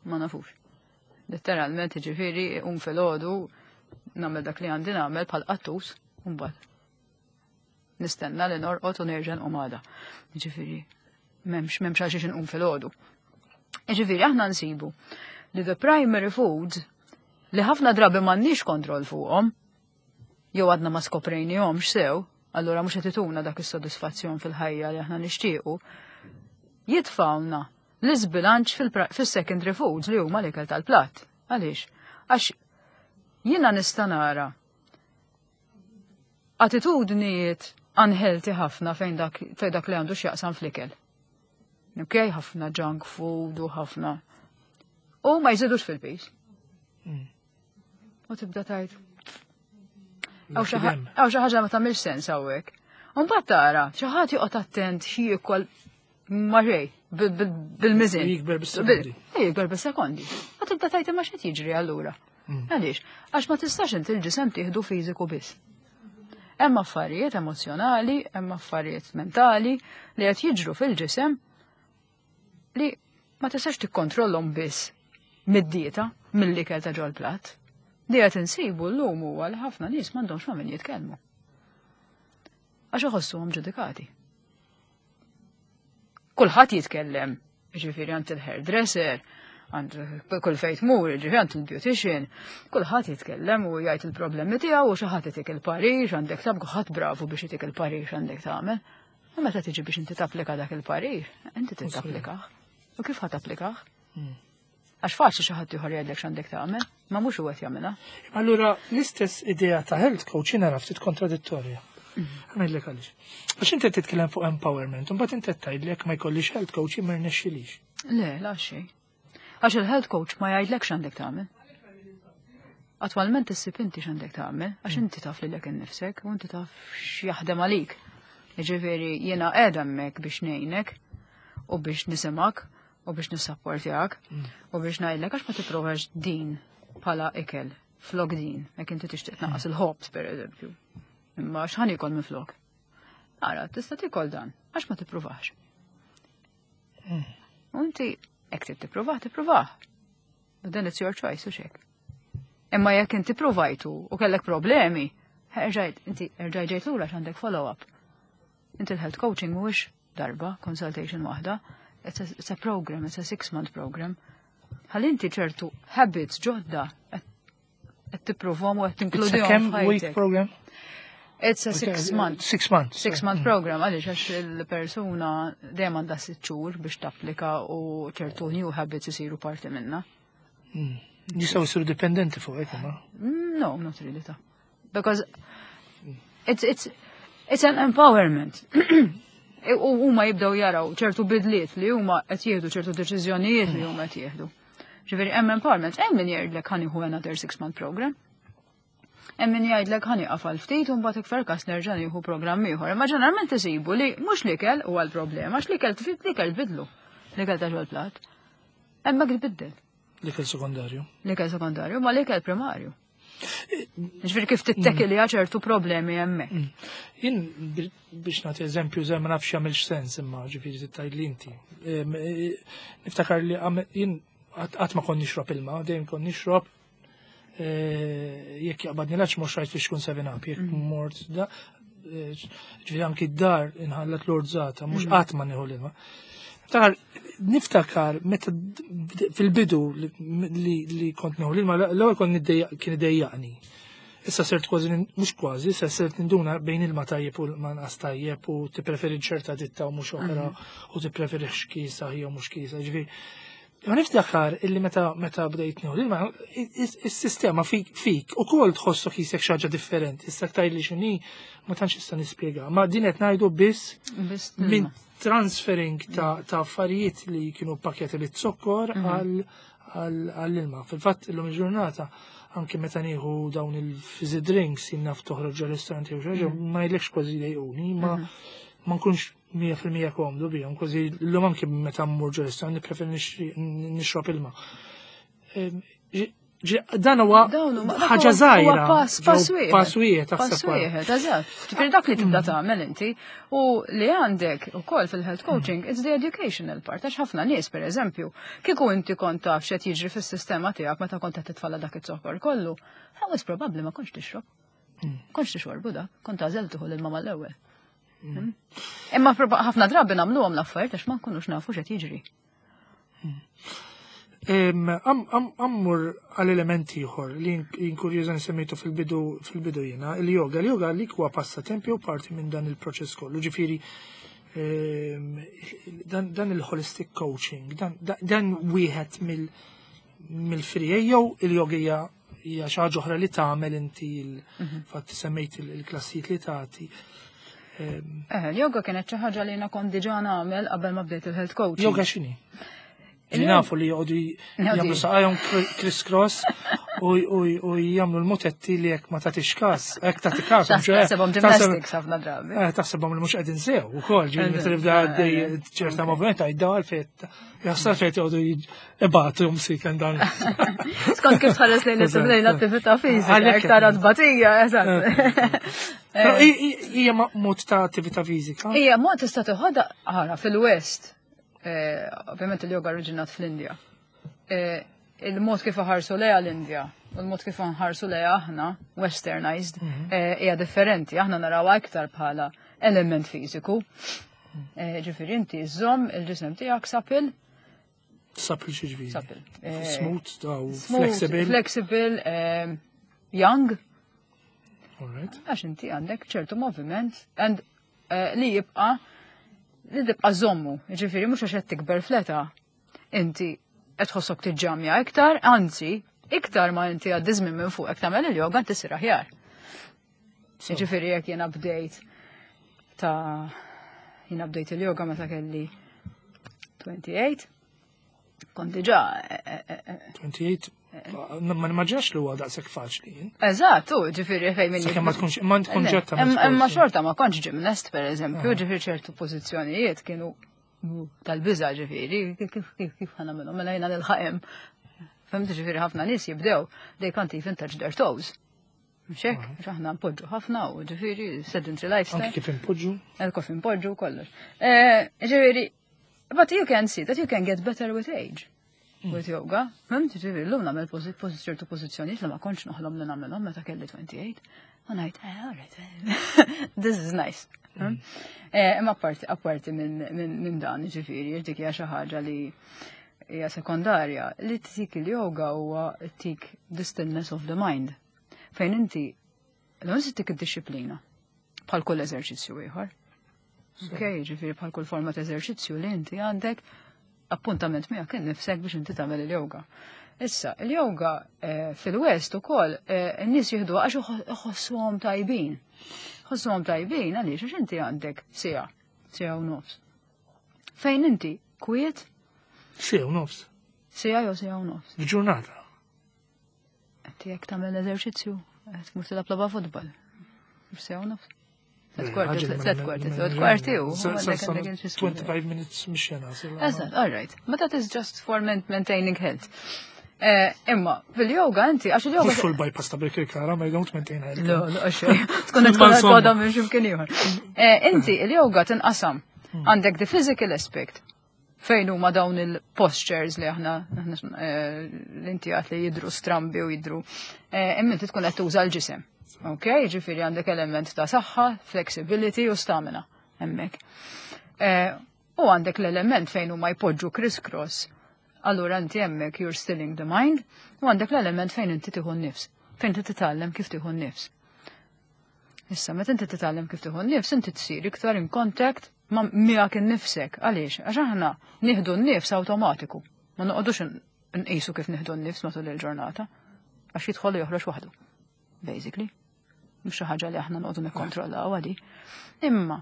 ma nafux. Letteralment, ġifieri, um filgħodu nagħmel dak li għandi nagħmel bħal qattus, u mbagħad nistenna li norqod u nerġa' nqum għada. Ġifieri, m'hemmx għal xiex inqum filgħodu. Ġifieri, aħna nsibu li the primary foods li ħafna drabi m'għandniex kontroll fuqhom, jew għadna ma skoprejnihomx sew, allura mhux qed ituna dak is-sodisfazzjon fil-ħajja li aħna nixtiequ, jitfawna l-iżbilanċ fil-secondary foods li huma l-ikel tal-platt. Għaliex? Għax jiena nista' nara attitudnijiet unhealthy ħafna fejn dak li għandu x'jaqsam fl-ikel. Ok, ħafna junk food u ħafna. U ma jżidux fil-piż. U tibda tajt. Għaw xi ħaġa ma tagħmilx sens hawnhekk. U mbagħad tara, xi ħadd joqgħod attent xi jiekol ma xejn bil-miżin. Jikber bis-sekondi. Jikber bis-sekondi. Ma tibda tajt imma x'qed jiġri allura. Għaliex? Għax ma tistax inti l-ġisem tieħdu fiżiku biss. Hemm affarijiet emozjonali, hemm affarijiet mentali li qed jiġru fil-ġisem li ma tistax tikkontrollhom biss mid-dieta, mill-ikel ta' ġol platt. Li qed insibu llum huwa li ħafna nies m'għandhomx ma' min jitkellmu. Għax iħossuhom ġudikati. Kulħadd jitkellem, ġifieri għand il-hairdresser, għand kull fejn tmur, ġifieri għand il-beautician, kulħadd jitkellem u jgħid il-problemi tiegħu u xi ħadd itik il-parir, għandek tab ħadd bravu biex itik il-parir għandek tagħmel. U meta tiġi biex inti tapplika dak il-parir, inti trid tapplikah. U kif ħa tapplikah? Għax faċli xi ħadd ieħor jgħidlek x'għandek tagħmel, ma mhux huwa qed jagħmilha. Allura l-istess idea ta' health coach jiena ftit kontradittorja. Ngħidlek għaliex. Għax inti titkellem fuq empowerment, u mbagħad inti tgħidlek ma jkollix health coach jien ma rnexxilix. Le, la xejn. Għax il-health coach ma jgħidlek x'għandek tagħmel. Attwalment issib inti x'għandek tagħmel, għax inti taf lilek innifsek u inti taf x'jaħdem għalik. Jiġifieri jiena qiegħda hemmhekk biex ngħinek u biex nisimak u biex nissapportjak u biex ngħidlek għax ma tipprovax din bħala ikel flok din, jekk inti tixtieq tnaqqas il-ħobż pereżempju. Imma x'ħan ikol minn flok? Ara, tista' tikol dan, għax ma tippruvax. U inti hekk trid tippruvah, tippruvah. But then it's your choice u xek. Imma jekk inti provajtu u kellek problemi, erġajt, inti erġajt ġejt lura għandek follow-up. Inti l-health coaching mhuwiex darba, consultation waħda, it's a program, it's a 6-month program. Ħalli inti ċertu habits ġodda qed tipprovhom u qed tinkludihom. It's a kemm week program? It's a 6 month. 6 months. 6 month program, għaliex għax il-persuna dejjem għandha 6 xhur biex tapplika u ċertu new habits isiru parti minna. Jistgħu jsiru dipendenti fuq hekk, ma? No, not really ta. Because it's an empowerment. U huma jibdew jaraw ċertu bidliet li huma qed jieħdu, ċertu deċiżjonijiet li huma qed jieħdu. Ġifieri hemm empowerment, hemm min jgħidlek ħa nieħu another 6 month program. Hemm min jgħidlek ħa nieqaf għal ftit u mbagħad iktar kas nerġa' nieħu programm ieħor. Imma ġeneralment isibu li mhux l-ikel huwa l-problema, għax l-ikel tfit l-ikel tbidlu. L-ikel ta' ġol-plat. Hemmhekk tbiddel. L-ikel sekondarju. L-ikel sekondarju, ma l-ikel primarju. Ġifieri kif tittekili ċertu problemi hemmhekk. Jien biex nagħti eżempju żgħir, ma nafx jagħmilx sens, imma ġifieri tgħid li inti. Niftakar li jien qatt ma kont nixrob ilma, dejjem kont nixrob jekk jaqbadni l-għatx mhux rajt fiex kun 7 Up, jekk mort da, ġifieri anki d-dar inħallat l-orzata, mhux qatt ma nieħu l-ilma. Niftakar meta fil-bidu li kont nieħu l-ilma, l-ewwel kont kien idejjaqni. Issa sirt kważi, mhux kważi, issa sirt ninduna bejn ilma tajjeb u ilma nqas tajjeb u tippreferi ċerta ditta u mhux oħra u tippreferi xkisa jew mhux kisa. Ġifieri, ma niftakar illi meta bdejt nieħu l-ilma, is-sistema fik ukoll tħossok jisek xi ħaġa differenti. Issa tgħidli x'inhi, ma tantx issa nispjega. Ma din qed ngħidu biss Biss minn ilma. transferring ta' affarijiet li kienu pakjati bit-zokkor għall-ilma. Fil-fatt illum il-ġurnata anke meta nieħu dawn il-fizzy drinks, jien naf toħroġ ġo ristoranti jew xi ħaġa, ma jgħidlekx kważi jdejquni, ma nkunx 100% komdu bihom, kważi llum anke meta mmur ġo ristorant nippreferi nixrob ilma. Dan huwa Dawn ħaġa dak huwa żgħira. pass wieħed. Pass wieħed Pass taħseb wara. wieħed, eżatt. Ġifieri dak li tibda tagħmel inti u li għandek ukoll fil-health coaching, it's the educational part, għax ħafna nies, pereżempju, kieku inti kont taf x'qed jiġri fis-sistema tiegħek meta kont qed titfalla dak iz-zokkor kollu, that was probably ma kontx tixrob. Kontx tixorbu dak, kont għażel tieħu l-ilma mal-ewwel. Imma ħafna drabi nagħmluhom l-affarijiet għax ma nkunux nafu x'qed jiġri. Ammur għal-elementi ieħor li inkurjuża nsemmejtu fil-bidu jiena, il-yoga. Il-yoga li huwa passatempi u parti minn dan il-proċess kollu. Ġifieri dan il-holistic coaching, dan wieħed mill-frijej jew il-yoga hija xi ħaġa oħra li tagħmel inti fatt semmejt il-klassijiet li tagħti. Il-yoga kienet xi ħaġa li jiena kont diġà nagħmel qabel ma bdejt il-health coaching. Yoga x'inhi? Li nafu li joqogħdu jagħmlu saqajhom criss-cross u jagħmlu l-mutetti li jekk ma tagħtix każ, jekk tagħti każ, mhux hekk, Taħsebhom gymnastics ħafna drabi. Taħsebhom li mhux qegħdin sew ukoll, ġifieri meta tibda għaddej ċerta moviment għajdaw għalfejn jaħsar fejn joqogħdu ibatu msiken dan. Skont kif tħares lejn l-attività fiżika, Għalhekk iktar tbatija, eżatt. Però hija mod ta' attività fiżika. Hija mod tista' toħodha ħara fil-West. Ovvjament il-yoga oriġinat fl-Indja. Il-mod kif ħarsu lejha l-Indja u l-mod kif nħarsu lejha aħna, westernized, hija differenti. Aħna narawha iktar bħala element fiżiku. Ġifieri inti żomm il-ġisem tiegħek supple. Supple xi ġifieri? Supple. Smooth, daw, Smooth, flexible. Flexible, young. All right. Għax inti għandek ċertu moviment and li jibqa' li tibqa' żommu, ġifieri mhux għax qed tikber fl-età. Inti qed tħossok tiġġamja iktar, anzi, iktar ma inti għaddi żmien minn fuq tagħmel il-yoga inti sir aħjar. Ġifieri jekk jiena bdejt il-yoga meta kelli 28, kont diġà 28, ma nimmaġinax li huwa daqshekk faċli jien. Eżatt, u ġifieri fejn minn Sakemm ma tkunx ma tkun Le, ġetta ma Imma tkunx. xorta ma kontx gymnast, per eżempju, ġifieri ċertu pożizzjonijiet kienu tal-biża', ġifieri, kif ħa nagħmilhom, mela jiena nilħaqem. Fhimt, ġifieri ħafna nies jibdew, they can't even touch their toes. Mhux hekk, għax aħna npoġġu ħafna u ġifieri sedentary lifestyle. Anki kif inpoġġu. Kif inpoġġu kollox. Ġifieri, but you can see that you can get better with age. With yoga. Fhimt, ġifieri, llum nagħmel ċertu pożizzjonijiet li ma kontx noħlom li nagħmelhom meta kelli 28. U ngħid, all right, this is nice. Imma apparti minn dan, ġifieri, dik hija xi ħaġa li hija sekondarja, li tik il-yoga huwa tik the stillness of the mind. Fejn inti, l-għon tik id-disciplina, bħal kull eżerċizzju ieħor. Ok, ġifieri bħal kull forma ta' eżerċizzju li inti għandek appuntament miegħek innifsek biex inti tagħmel il-yoga. Issa, il-yoga fil-West ukoll in-nies jieħdu għax iħossuhom tajbin. Ħossuhom tajbin għaliex għax inti għandek siegħa. Siegħa u nofs. Fejn inti kwiet? Siegħa u nofs. Siegħa jew siegħa u nofs. F'ġurnata. Qed jekk tagħmel eżerċizzju, qed tmur tilgħab logħba futbol. Siegħa u nofs. 3/4, 3/4 u. 25 minutes mixjena. Eżatt, all right. But that is just for maintaining health. Imma, fil-yoga inti, għax il-yoga. Mhux full bypass ta' Birkirkara, ma you don't maintain health. Le, le, għax tkun qed tkun għadha minn x'imkien ieħor. Inti, il-yoga tinqasam. Għandek the physical aspect, fejn huma dawn il-postures li aħna l-inti għat li jidru strambi u jidru. Imma inti tkun qed tuża l-ġisem. Ok, ġifieri għandek element ta' saħħa, flexibility u stamina hemmhekk. U għandek l-element fejn huma jpoġġu criss-cross. Allura inti hemmhekk you're stilling the mind, u għandek l-element fejn inti tieħu n-nifs, fejn inti titgħallem kif tieħu n-nifs. Issa, meta inti titgħallem kif tieħu n-nifs, inti tsir iktar in contact ma' miegħek innifsek. Għaliex? Għax aħna nieħdu n-nifs awtomatiku. Ma noqogħdux nqisu kif nieħdu n-nifs matul il-ġurnata. Għax jidħol u joħroġ waħdu. Basically. Mhux xi ħaġa li aħna noqogħdu nikkontrollaw għadi. Imma,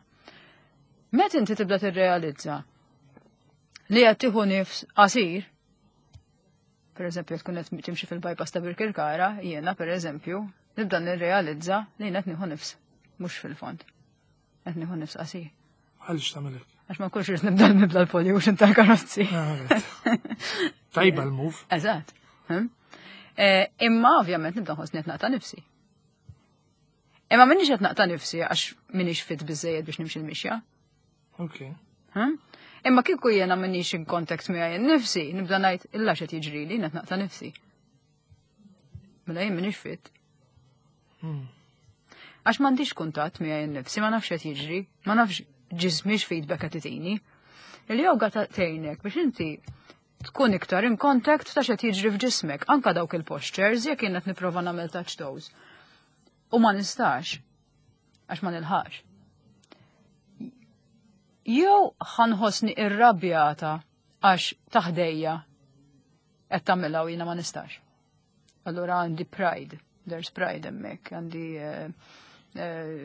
meta inti tibda tirrealizza li qed tieħu nifs qasir, per eżempju, tkun qed timxi fil-bypass ta' Birkirkara, jiena per eżempju, nibda nirrealizza li qed nieħu nifs, mhux fil-fond. Qed nieħu nifs qasir. Għaliex tagħmel hekk? Għax ma nkunx irrid nibda nibda l-pollution tal-karozzi. Tajba l-move. Eżatt. Imma ovvjament nibda nħossni qed naqta' nifsi. Imma minix qed naqta' nifsi għax minix fit biżejjed biex nimxi l-mixja. Imma kieku jiena minix in contact miegħi nnifsi, nibda ngħid illa x'qed jiġrili qed naqta' nifsi. Mela jien minix fit. Għax m'għandix kuntatt miegħi nnifsi, ma nafx qed jiġri, ma nafx ġismix feedback qed itini. Il-yoga tgħinek biex inti tkun iktar in contact ta' x'qed jiġri f'ġismek, anka dawk il-postures jekk jien qed nipprova nagħmel touch toes. U ma nistax, għax ma nilħax. Jew ħanħossni irrabjata għax taħdejja qed tagħmilha u jiena ma nistax. Allura għandi pride, there's pride hemmhekk, għandi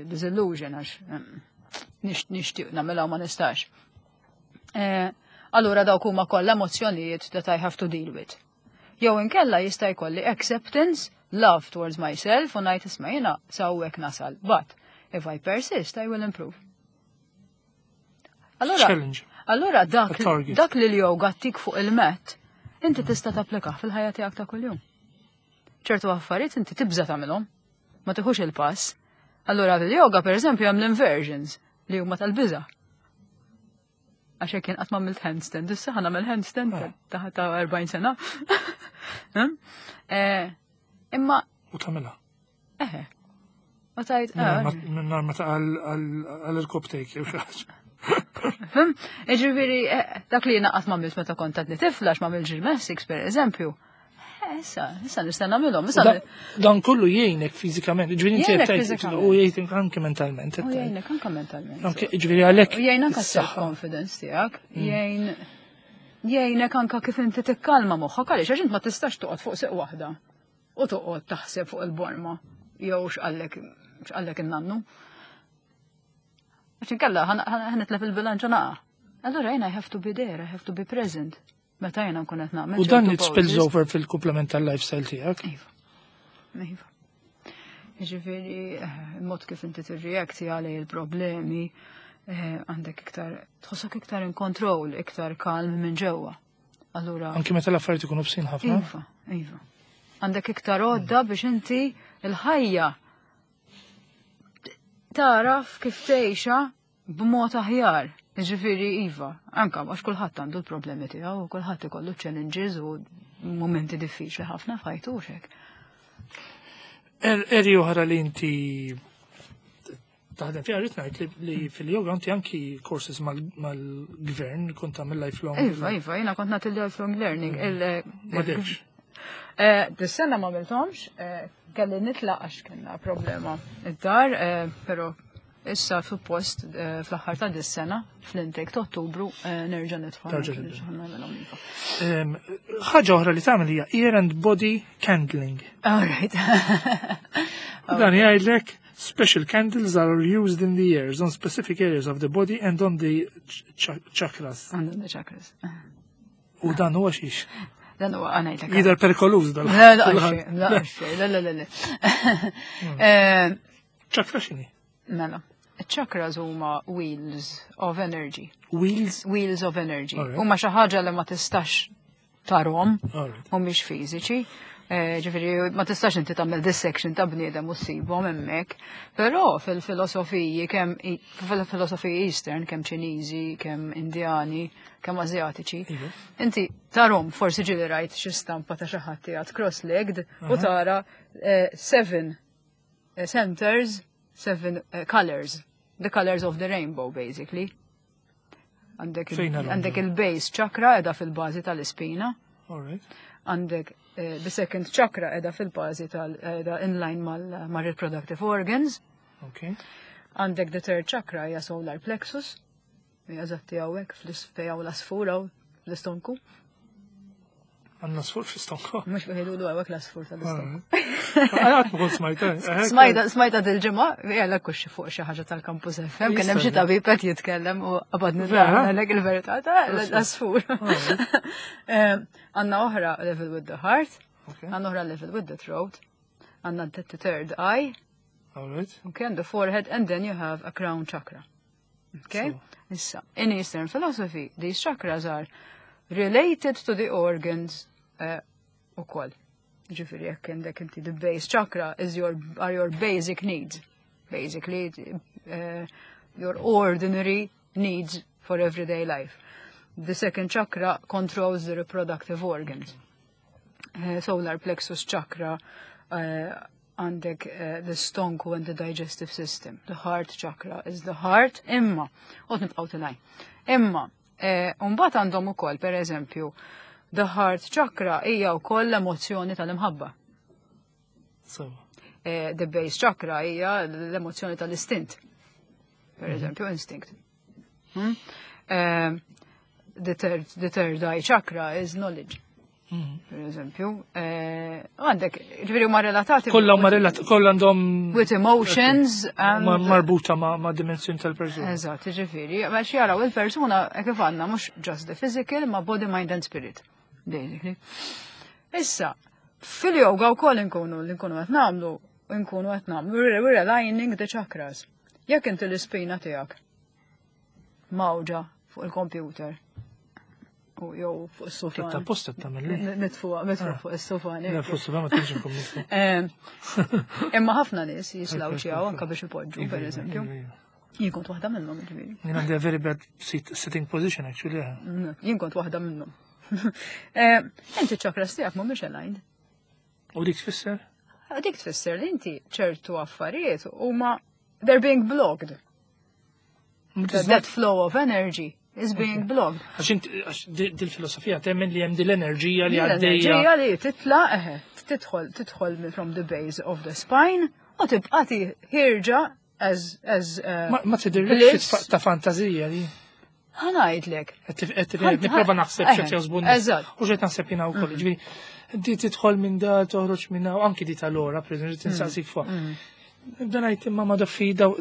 disillusion għax nixtieq nagħmilha u ma nistax. Allura dawk huma kollha emozzjonijiet that I have to deal with. Jew inkella jista' jkolli acceptance, love towards myself u ngħid isma' jiena s'hawnhekk nasal, but if I persist I will improve. Allura, Challenge. allura A target. dak li l-yoga tik fuq il-mat, inti tista' tapplikah fil-ħajja tiegħek ta' kuljum. Ċertu affarijiet inti tibża' tagħmilhom, ma tieħux il-pass. Allura fil-yoga pereżempju hemm l-inversions li huma tal-biża'. Għax jekk jien qatt m'għamilt handstand, issa ħa nagħmel handstand ta' 40 sena. Imma U tagħmilha. Eħe. U tajt, Minnar ma ta' għal-irkoptejk, jew xi ħaġa. Ġifieri, dak li jiena qatt m'għamilt meta kont għadni tifla, għax m'għamilt gymnastics, per eżempju. Issa nista' nagħmilhom, issa Dan kollu jgħinek fiżikament, ġifieri inti Jgħinek qed tgħid, fiżikament. u jgħinek anke mentalment, qed U tgħid. jgħinek anke mentalment. Anke, ġifieri għalhekk U jgħin anke is-saħħa. self-confidence tiegħek, jgħinek anke kif inti tikkalma moħħok, għaliex għax int ma tistax toqgħod fuq seq waħda u toqgħod taħseb fuq il-borma jew x'qallek in-nannu. Għax inkella ħa nitlef il-bilanċ u naqa'. Allura jiena I have to be there, I have to be present. Meta jiena nkun qed nagħmel U dan ċertu it spills poses. over fil-komplement tal-lifestyle tiegħek. Iva. Iva. Ġifieri, mod kif inti tirreakti għalej il-problemi, għandek iktar, tħossok iktar in control, iktar kalm minn ġewwa. Allura Anki meta l-affarijiet ikunu bsin ħafna. Iva, iva. Għandek iktar għodda biex inti il-ħajja taraf kif tgħixha b'mod aħjar. Ġifieri iva, anka għax kulħadd għandu l-problemi tiegħu, kulħadd ikollu challenges u momenti diffiċli ħafna f'ħajtu u xek. Eri oħra li inti taħdem fiha, rrid ngħid li fil-yoga inti anki courses mal-gvern kont tagħmel lifelong. Iva, iva, jiena kont nagħti lifelong learning. Ma debx. Dis-sena ma għamilthomx, kelli nitlaq għax kellna problema id-dar, però issa suppost fl-aħħar ta' dis-sena, fl-intake ta' Ottubru, nerġa' nidħol. Terġa' tibda. Nerġa' nagħmilhom iva. Ħaġa oħra li tagħmel hija ear and body candling. All right. U dan jgħidlek Special candles are used in the ears, on specific areas of the body and on the chakras. On the chakras. U dan huwa xiex? Dan huwa għanajlek. Jidher perikoluż dal. Le, le, le, le, le, le. Chakra x'inhi? Mela. Chakras huma wheels of energy. Wheels? Wheels of energy. Huma xi ħaġa li ma tistax tarhom, mhumiex fiżiċi. Ġifieri ma tistax inti tagħmel dissection ta' bniedem u ssibhom hemmhekk. Però fil-filosofiji kemm fil-filosofiji Eastern, kemm Ċiniżi, kemm Indjani, kemm Asjatiċi, inti tarhom forsi ġieli rajt xi stampa ta' xi ħadd qiegħed cross-legged u tara seven centers, seven colors, the colors of the rainbow basically. Għandek il-base chakra edha fil-bażi tal-ispina. Għandek the second chakra edha fil-bażi tal-edha inline mal-reproductive organs. Għandek the third chakra hija solar plexus. Hija eżatti hawnhekk fl-isfeja u l-asfur hawn l-istonku. Għandna asfur fl-istonku. Mhux jgħidu hawnhekk l-asfur tal-istonku. Għad ma kont smajta. Smajta, smajta dil-ġimgħa, jgħalek kux fuq xi ħaġa tal-Campus FM, kien hemm xi tabib qed jitkellem u qabad nidlek il-verità ta' l-asfur. Għandna oħra level with the heart, għandna oħra level with the throat, għandna the third eye, okay, and the forehead, and then you have a crown chakra. Okay? Issa, in Eastern philosophy, these chakras are related to the organs u koll. Ġifieri, jekk għandek inti the base chakra is your, are your basic needs. Basically, your ordinary needs for everyday life. The second chakra controls the reproductive organs. Solar plexus chakra għandek the stonku and the digestive system. The heart chakra is the heart, imma, u nibqaw tilajn. Imma, mbagħad għandhom ukoll, per eżempju, the heart chakra hija wkoll l-emozzjoni tal-imħabba. The base chakra hija l-emozzjoni tal-istint. Per eżempju, instinct. The third eye chakra is knowledge. Per eżempju, għandek, ġifieri huma relatati. Kollha huma relatati, kollha għandhom with emotions and marbuta ma' dimensjoni tal-persuna. Eżatt, ġifieri, għax jaraw il-persuna kif għandna mhux just the physical, ma body, mind and spirit, basically. Issa, fil-yoga wkoll inkunu li nkunu qed nagħmlu, nkunu qed nagħmlu, we're aligning the chakras. Jekk inti l-ispina tiegħek mawġa fuq il-computer, u jew fuq is-sufan. Ta' posta tagħmel li. Nitfu fuq is-sufan. Le, fuq is-sufan ma tantx inkun nitfu. Imma ħafna nies jislawċjaw anke biex ipoġġu, per eżempju. Jien kont waħda minnhom, ġifieri. Jien għandi a very bad sitting position actually. Jien kont waħda minnhom. Inti ċ-chakras tiegħek mhumiex aligned. U dik tfisser? Dik tfisser li inti ċertu affarijiet huma they're being blocked. That flow of energy is being blocked. Għax inti, għax dil-filosofija temmen li hemm dil-enerġija li għaddejja. L-enerġija li titla, eħe, tidħol from the base of the spine u tibqa' ħierġa as Ma tidhirlekx bliss. ta' fantazija li. Ħa ngħidlek. Qed nipprova naħseb x'qed jaħsbu n-nies. U x'qed naħseb jiena wkoll. Ġifieri, di tidħol minn da, toħroġ minn da, u anki di tal-ora, per eżempju, tinsaqsik fuq. Nibda ngħid imma ma daffi daw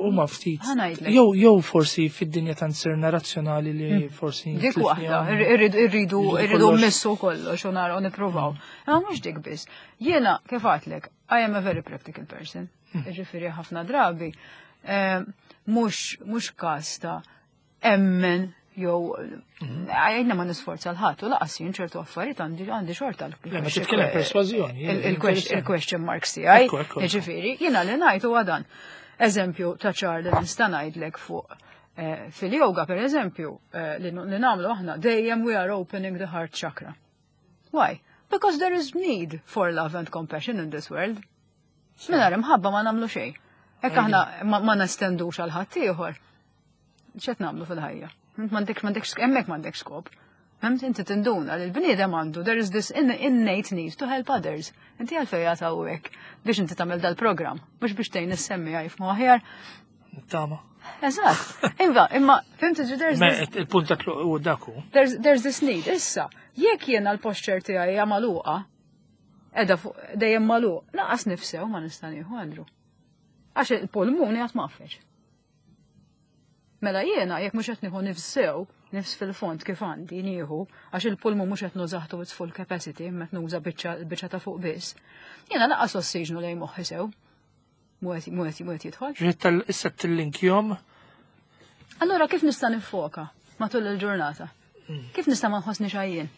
huma ftit. Ħa ngħidlek. Jew forsi fid-dinja tant sirna razzjonali li forsi Dik tlifni waħda, hawn. irridu Irridu irridu kollox. mmissu kollox u naraw nippruvaw. Imma mhux dik biss. Jiena kif għedtlek, I am a very practical person. Ġifieri ħafna drabi, mhux każ ta' emmen jew għajna ma nisforza l-ħadd u laqas jien ċertu affarijiet għandi xorta Le, ma titkellem persważjoni, interessanti. il-question marks tiegħi. Ekku, ekku, ekku. Ġifieri, jiena li ngħid huwa dan. Eżempju ta' ċar li nista' ngħidlek fuq fil-yoga per eżempju, li nagħmlu aħna dejjem we are opening the heart chakra. Why? Because there is need for love and compassion in this world. Mingħajr imħabba ma nagħmlu xejn. Hekk aħna ma nestendux għal ħadd ieħor. X'qed nagħmlu fil-ħajja? M'għandekx, hemmhekk m'għandekx skop. Fhimt? Inti tinduna li l-bniedem għandu, there is this innate need to help others. Inti għalfejn għatawek biex inti tagħmel dal-programm, mhux biex tgħin is-semmi jifhmu aħjar. Tama. Eżatt. Iva, imma fhimt ġi there's Ma this il-punt ta' tluq u daku. There's this need. Issa, jekk jiena l-posture tiegħi hija magħluqa, qiegħda fuq dejjem magħluq, laqas nifsew ma nista' nieħu, Andrew. Għax il-pulmuni għat maffeċ. Mela jiena jekk mhux qed nieħu nifs sew, nifs fil-fond kif għandi nieħu, għax il-pulmun mhux qed nużah to its full capacity, imma qed nuża biċċa ta' fuq biss. Jiena lanqas ossiġnu lejn moħħi sew. Mhu qed jidħol. Ġiet tal-issa tillinkjom. Allura kif nista' nifoka matul il-ġurnata? Kif nista' ma nħossni xajjien?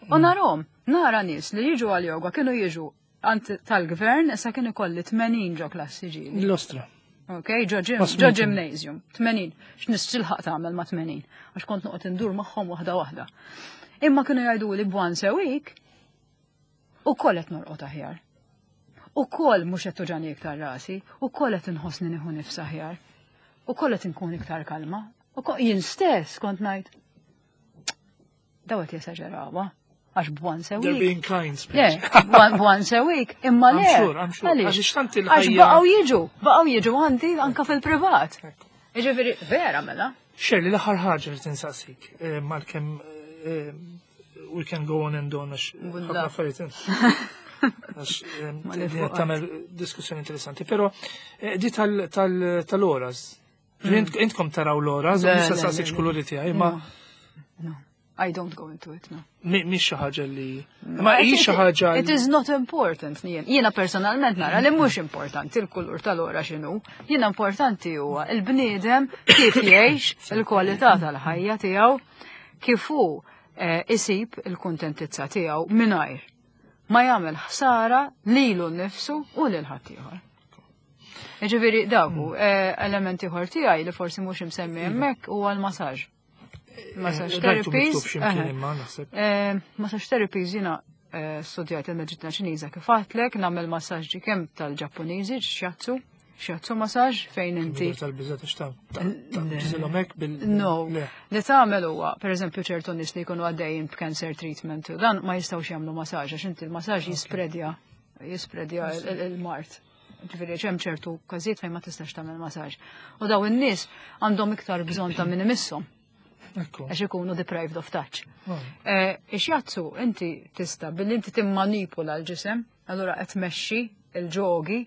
U narhom, nara nies li jiġu għal yoga kienu jiġu għand tal-gvern issa kien ikolli 80 ġo klassi ġieli. L-ostra. Ok, ġo gymnasium, 80. X'nistilħaq tagħmel ma' 80? Għax kont noqgħod indur magħhom waħda waħda. Imma kienu jgħidu li once a week u koll qed norqod aħjar. U koll mhux qed tuġani iktar rasi, u koll qed inħossni nieħu nifs aħjar. U koll qed inkun iktar kalma. U jien stess kont ngħid. Daw qed jesaġerawha għax b'once a week. They're being kind. Le, once a week, imma le. I'm sure, I'm sure. Għax tant Għax baqgħu jiġu, baqgħu jiġu għandi anka fil-privat. Jiġifieri vera mela. Shirley, l-aħħar ħaġa li tinsaqsik, eh, mal-kemm eh, we can go on and on għax ħafna affarijiet. Għax eh, tagħmel diskussjoni interessanti, però di tal-oras. Intkom taraw l-oras, nista' saqsik x'kuluri tiegħi, ma. No. I don't go into it, no. Mhix xi ħaġa li. Ma hi xi ħaġa. It is not important jien. Jiena personalment nara li mhux importanti l-kulur tal-ora x'inhu. Jiena importanti huwa il-bniedem kif jgħix il-kwalità tal-ħajja tiegħu kif hu eh, isib il-kuntentizza tiegħu mingħajr ma jagħmel ħsara lilu nnifsu u lil ħaddieħor. Ġifieri dawk hu mm. eh, elementi ieħor tiegħi li forsi mhux imsemmi iva. hemmhekk huwa l-masaġġ. Massage therapies. Eh, massage therapies jina eh, studjajt il-medicina ċiniża kif għatlek, nagħmel massaġġi kemm tal-Ġappuniżi, shiatsu, shiatsu massage fejn inti. No, li tagħmel huwa, pereżempju ċertu nies li jkunu għaddejjin b'cancer treatment, dan ma jistgħux jagħmlu massage għax inti l-massage jispredja jispredja il-mart. Ġifieri hemm ċertu każijiet fejn ma tistax tagħmel massage. U daw in-nies għandhom iktar bżonn ta' min imisshom. Għax ikunu deprived of touch. Oh. Eh, ix-shiatsu inti tista' billi inti timmanipula l-ġisem, allura qed tmexxi il-ġogi,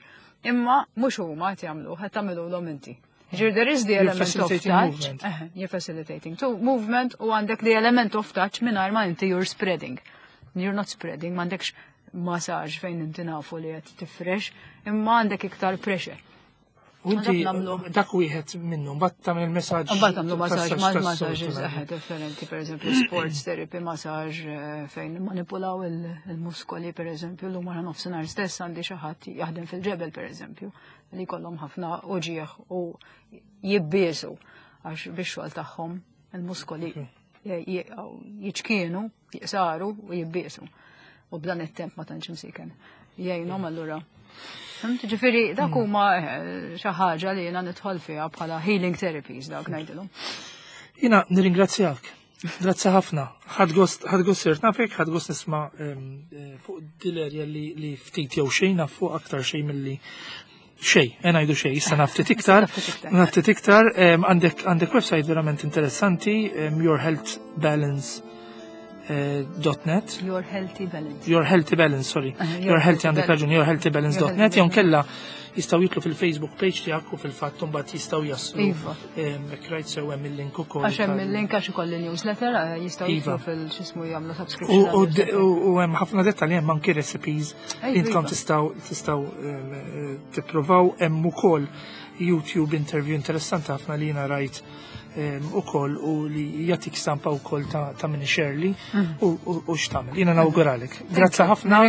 imma mhux huma qed jagħmlu, qed tagħmilulhom inti. Ġir, there is the element of touch. Eh, you're facilitating to movement u għandek the element of touch mingħajr ma inti you're spreading. You're not spreading, m'għandekx massage fejn inti nafu li qed tifrex, imma għandek iktar pressure. U inti dak wieħed minnu, mbagħad tagħmel il-messaġġ. Mbagħad tagħmlu massage, massages eħe differenti, pereżempju sports therapy massage eh, fejn manipulaw il-muskoli pereżempju, llum wara nofsinhar stess għandi xi ħadd jaħdem fil-ġebel pereżempju, li jkollhom ħafna uġieħ u jibbiesu għax bix-xogħol tagħhom il-muskoli jiċkienu jiqsaru u jibbiesu. U b'dan it-temp ma tantx imsiken. Jgħinhom allura. Ġifieri dak hmm. huma eh, xi ħaġa li jiena nidħol fiha bħala healing therapies dak ngħidilhom. Jiena nirringrazzjak. Grazzi ħafna. Ħadd gost ħadd gost sirt nafek, ħadd gost nisma' eh, fuq dil-erja li ftit jew xejn naf fuq aktar xejn milli xej, eh, ngħidu xej, issa naftit iktar, naftit iktar, għandek għandek website verament interessanti, yourhealthbalance.net. Eh, Your Healthy Balance. Your Healthy Balance, sorry. Eh, your Healthy għandek raġun, yourhealthybalance.net, jew kella jistaw jitlu fil-Facebook page tiegħek u fil-fatt mbagħad jistgħu jaslu. Iva. Hekk rajt sew hemm il-link ukoll. Għax hemm il-link għax ikolli newsletter eh, jistgħu jitlu iva. fil-xismu jagħmlu subscription. U hemm ħafna dettalji hemm anki recipes Intkom tistaw tistaw eh, tippruvaw hemm ukoll YouTube interview interessanti ħafna li jiena rajt ukoll u li jagħtik stampa wkoll ta' minn Shirley mm. u x'tagħmel. Jiena nawguralek. Grazzi ħafna.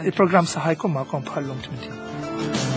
Il-programm saħħa jkun magħkom bħallum tmintija.